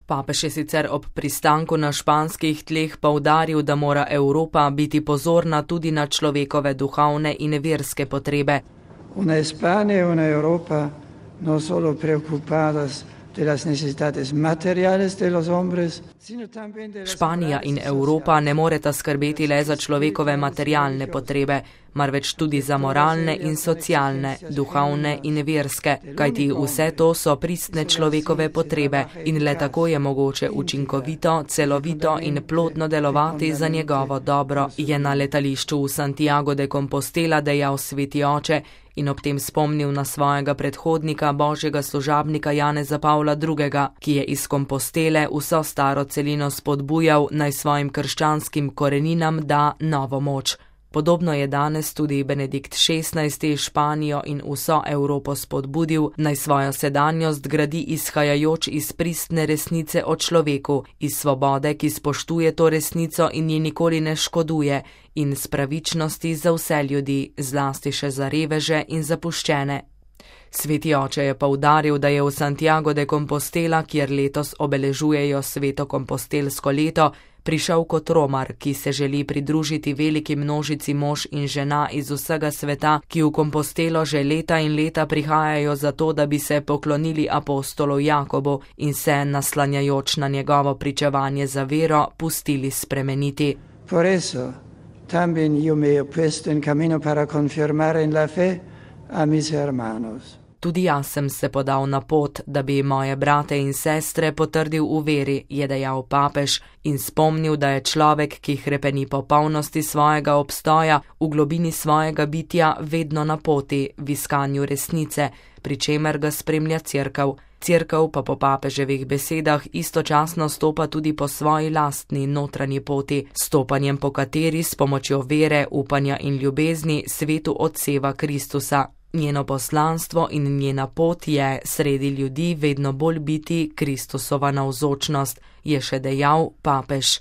Papež je sicer ob pristanku na španskih tleh poudaril, da mora Evropa biti pozorna tudi na človekove duhovne in verske potrebe. Una España y una Europa no solo preocupadas de las necesidades materiales de los hombres, sino también de las Španija in Evropa ne moreta skrbeti le za človekove materialne potrebe, marveč tudi za moralne in socialne, duhovne in verske, kajti vse to so pristne človekove potrebe in le tako je mogoče učinkovito, celovito in plodno delovati za njegovo dobro, je na letališču v Santiago de Compostela dejal sveti oče in ob tem spomnil na svojega predhodnika, božjega služabnika Janeza Pavla II., ki je iz Kompostele vso staro celino spodbujal, naj svojim krščanskim koreninam da novo moč. Podobno je danes tudi Benedikt XVI. Španijo in vso Evropo spodbudil, naj svojo sedanjost gradi izhajajoč iz pristne resnice o človeku, iz svobode, ki spoštuje to resnico in ji nikoli ne škoduje, in s pravičnosti za vse ljudi, zlasti še za reveže in zapuščene. Sveti oče je poudaril, da je v Santiago de Compostela, kjer letos obeležujejo sveto kompostelsko leto, prišel kot romar, ki se želi pridružiti veliki množici mož in žena iz vsega sveta, ki v Kompostelo že leta in leta prihajajo zato, da bi se poklonili apostolu Jakobu in se, naslanjajoč na njegovo pričevanje za vero, pustili spremeniti. Por eso, también yo me he puesto en camino para confirmar en la fe a mis hermanos. Tudi jaz sem se podal na pot, da bi moje brate in sestre potrdil v veri, je dejal papež in spomnil, da je človek, ki hrepeni po polnosti svojega obstoja, v globini svojega bitja vedno na poti, v iskanju resnice, pri čemer ga spremlja Cerkev. Cerkev pa po papeževih besedah istočasno stopa tudi po svoji lastni notranji poti, stopanjem po kateri s pomočjo vere, upanja in ljubezni svetu odseva Kristusa. Njeno poslanstvo in njena pot je sredi ljudi vedno bolj biti Kristusova navzočnost, je še dejal papež.